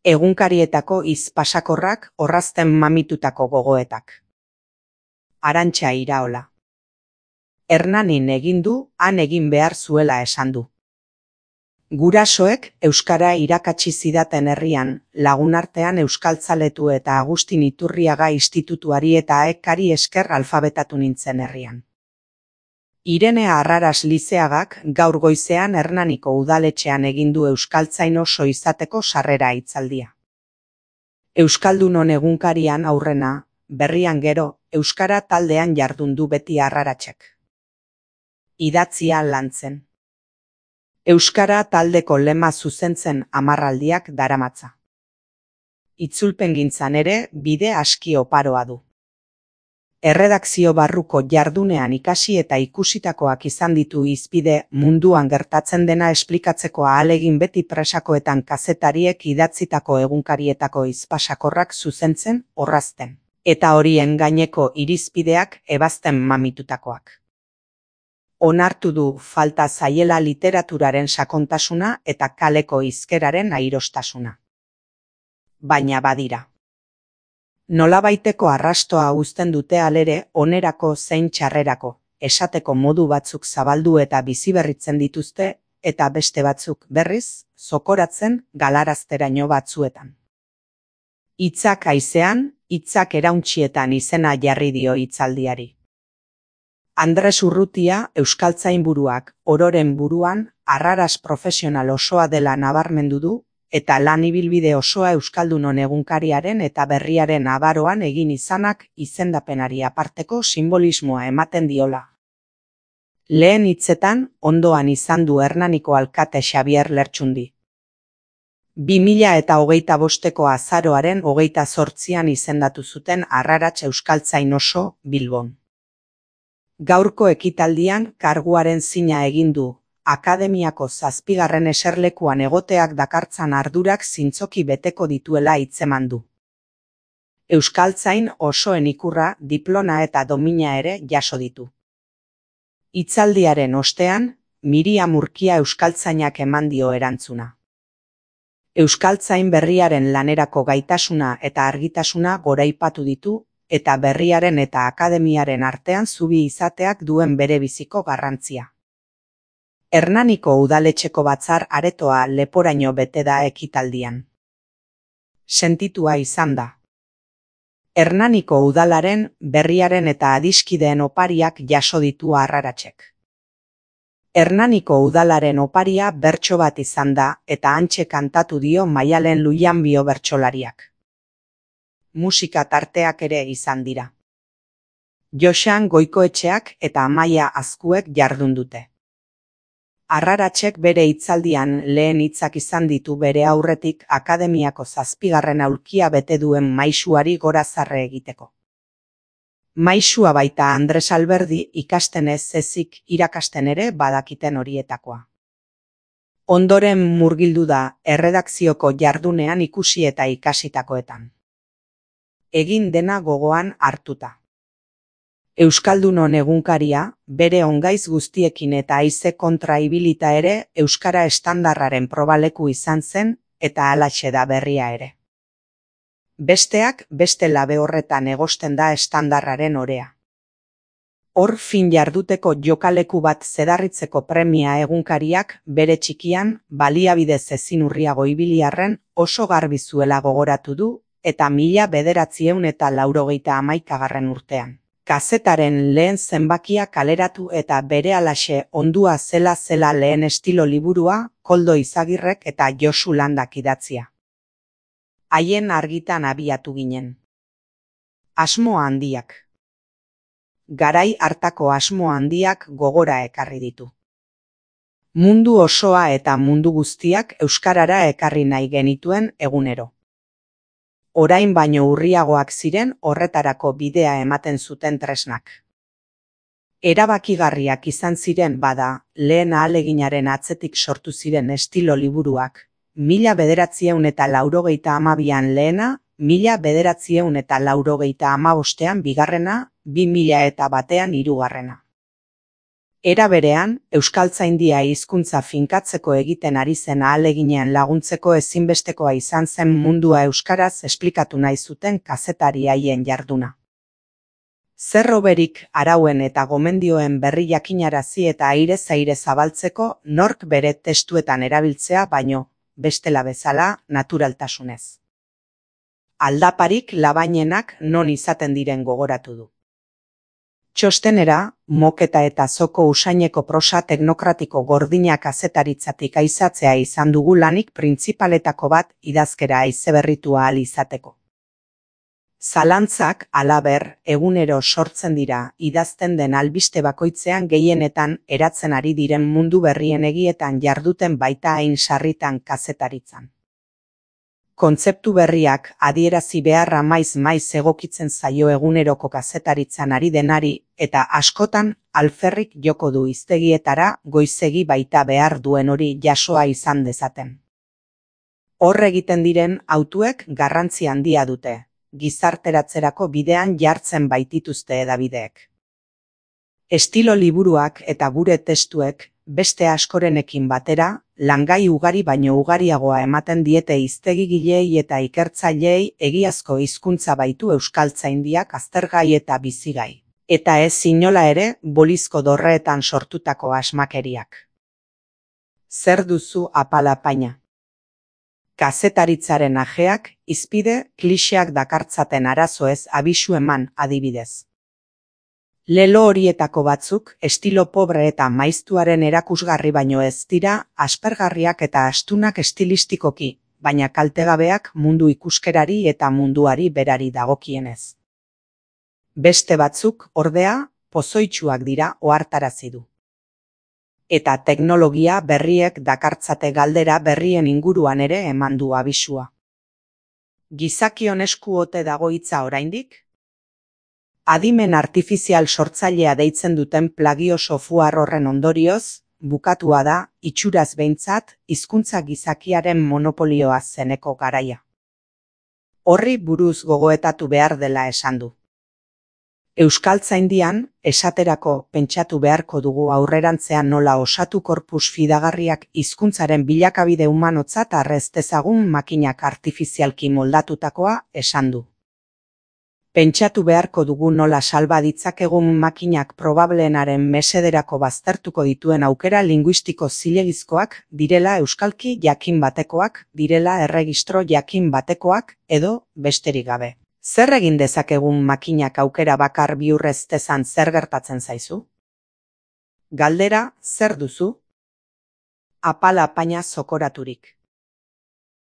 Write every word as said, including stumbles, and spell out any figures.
Egunkarietako hitz pasakorrak, orrazten mamitutako gogoetak. Arantxa Iraola. Hernanin egin du, han egin behar zuela esan du. Gurasoek euskara irakatsi zidaten herrian, lagunartean euskaltzaletu eta Agustin Iturriaga institutuari eta aekari esker alfabetatu nintzen herrian. Irene Arraras Lizeagak gaur goizean Hernaniko udaletxean egin du euskaltzain oso izateko sarrera hitzaldia. Euskaldunon egunkarian aurrena, berrian gero, euskara taldean jardun du beti Arraratsek. Idatzia lantzen. Euskara taldeko lema zuzentzen hamarraldiak daramatza. Itzulpengintzan ere bide aski oparoa du. Erredakzio barruko jardunean ikasi eta ikusitakoak izan ditu hizpide munduan gertatzen dena esplikatzeko ahalegin beti presakoetan kazetariek idatzitako egunkarietako hizpasakorrak zuzentzen, orrazten, eta horien gaineko irizpideak ebazten mamitutakoak. Onartu du falta zaiela literaturaren sakontasuna eta kaleko hizkeraren airostasuna. Baina badira. Nolabaiteko arrastoa uzten dute alere onerako zein txarrerako, esateko modu batzuk zabaldu eta biziberritzen dituzte, eta beste batzuk berriz, zokoratzen galarazteraino batzuetan. Hitzak haizean, hitzak erauntzietan izena jarri dio hitzaldiari. Andres Urrutia euskaltzainburuak ororen buruan Arraras profesional osoa dela nabarmendu du, eta lan ibilbide osoa euskaldunon egunkariaren eta berriaren abaroan egin izanak izendapenari aparteko simbolismoa ematen diola. Lehen hitzetan ondoan izan du Hernaniko alkate Xabier Lertxundi. bi mila eta hogeita bosteko azaroaren hogeita zortzian izendatu zuten Arrarats euskaltzain oso Bilbon. Gaurko ekitaldian karguaren zina egin du, akademiako zazpigarren eserlekuan egoteak dakartzan ardurak zintzoki beteko dituela hitzeman du. Euskaltzain osoen ikurra, diploma eta domina ere jaso ditu. Hitzaldiaren ostean, Miriam Urkia euskaltzainak eman dio erantzuna. Euskaltzain berriaren lanerako gaitasuna eta argitasuna goraipatu ditu, eta berriaren eta akademiaren artean zubi izateak duen bere biziko garrantzia. Hernaniko udaletxeko batzar aretoa leporaino bete da ekitaldian. Sentitua izan da. Hernaniko udalaren, berriaren eta adiskideen opariak jaso ditu Arraratsek. Hernaniko udalaren oparia bertso bat izan da eta hantxe kantatu dio Maialen Luianbio bertsolariak. Musika tarteak ere izan dira. Joxan Goikoetxeak eta Amaia Azkuek jardun dute. Arraratsek bere hitzaldian lehen hitzak izan ditu bere aurretik akademiako zazpigarren aulkia bete duen maisuari gorazarre egiteko. Maisua baita Andres Alberdi ikasten ez ezik irakasten ere badakiten horietakoa. Ondoren murgildu da erredakzioko jardunean ikusi eta ikasitakoetan. Egin dena gogoan hartuta. Euskaldunon egunkaria, bere ongaiz guztiekin eta haize kontra ibilita ere euskara estandarraren probaleku izan zen eta halaxe da berria ere. Besteak beste labe horretan egosten da estandarraren orea. Hor fin jarduteko jokaleku bat zedarritzeko premia egunkariak bere txikian baliabidez ezin urriago ibiliarren oso garbi zuela gogoratu du, eta mila bederatzieun eta laurogeita hamaikagarren urtean. Kazetaren lehen zenbakia kaleratu eta berehalaxe ondua zela zela lehen estilo liburua Koldo Izagirrek eta Josu Landak idatzia. Haien argitan abiatu ginen. Asmo handiak. Garai hartako asmo handiak gogora ekarri ditu. Mundu osoa eta mundu guztiak euskarara ekarri nahi genituen egunero. Orain baino urriagoak ziren horretarako bidea ematen zuten tresnak. Erabakigarriak izan ziren bada, lehen ahaleginaren atzetik sortu ziren estilo liburuak, mila bederatzieun eta laurogeita hamabian lehena, mila bederatzieun eta laurogeita hamabostean bigarrena, bi mila eta batean hirugarrena. Era berean, euskaltzaindia hizkuntza finkatzeko egiten ari zen ahaleginean laguntzeko ezinbestekoa izan zen mundua euskaraz esplikatu nahi zuten kazetari haien jarduna. Zer hoberik arauen eta gomendioen berri jakinarazi eta airez aire zabaltzeko nork bere testuetan erabiltzea baino, bestela bezala, naturaltasunez. Aldaparik labainenak non izaten diren gogoratu du. Txostenera, moketa eta zoko usaineko prosa teknokratiko gordinak kazetaritzatik aizatzea izan dugu lanik printzipaletako bat idazkera haizeberritu ahal izateko. Zalantzak, halaber, egunero sortzen dira, idazten den albiste bakoitzean gehienetan eratzen ari diren mundu berrien egietan jarduten baita hain sarritan kazetaritzan. Kontzeptu berriak adierazi beharra maiz-maiz egokitzen zaio eguneroko kazetaritzan ari denari eta askotan alferrik joko du hiztegietara goizegi baita behar duen hori jasoa izan dezaten. Hor egiten diren hautuek garrantzi handia dute, gizarteratzerako bidean jartzen baitituzte hedabideek. Estilo liburuak eta gure testuek beste askorenekin batera, langai ugari baino ugariagoa ematen diete hiztegigileei eta ikertzaileei egiazko hizkuntza baitu euskaltzaindiak aztergai eta bizigai. Eta ez inola ere bolizko dorreetan sortutako asmakeriak. Zer duzu apalapaina? Kazetaritzaren ajeak, hizpide, klixeak dakartzaten arazoez abisu eman adibidez. Lelo horietako batzuk, estilo pobre eta maiztuaren erakusgarri baino ez dira, aspergarriak eta astunak estilistikoki, baina kaltegabeak mundu ikuskerari eta munduari berari dagokienez. Beste batzuk, ordea, pozoitsuak dira ohartarazi du. Eta teknologia berriek dakartzate galdera berrien inguruan ere eman du abisua. Gizakion esku ote dago hitza oraindik? Adimen artifizial sortzailea deitzen duten plagio software horren ondorioz, bukatua da, itxuraz behintzat, hizkuntza gizakiaren monopolioa zeneko garaia. Horri buruz gogoetatu behar dela esan du. Euskaltzaindian, esaterako pentsatu beharko dugu aurrerantzean nola osatu korpus fidagarriak hizkuntzaren bilakabide humanotzat arrez dezagun makinak artifizialki moldatutakoa esan du. Pentsatu beharko dugu nola salba ditzakegun makinak probableenaren mesederako baztertuko dituen aukera linguistiko zilegizkoak direla euskalki jakin batekoak, direla erregistro jakin batekoak, edo besterik gabe. Zer egin dezakegun makinak aukera bakar bihurrez dezan zer gertatzen zaizu? Galdera, zer duzu? Apalapaina zokoraturik.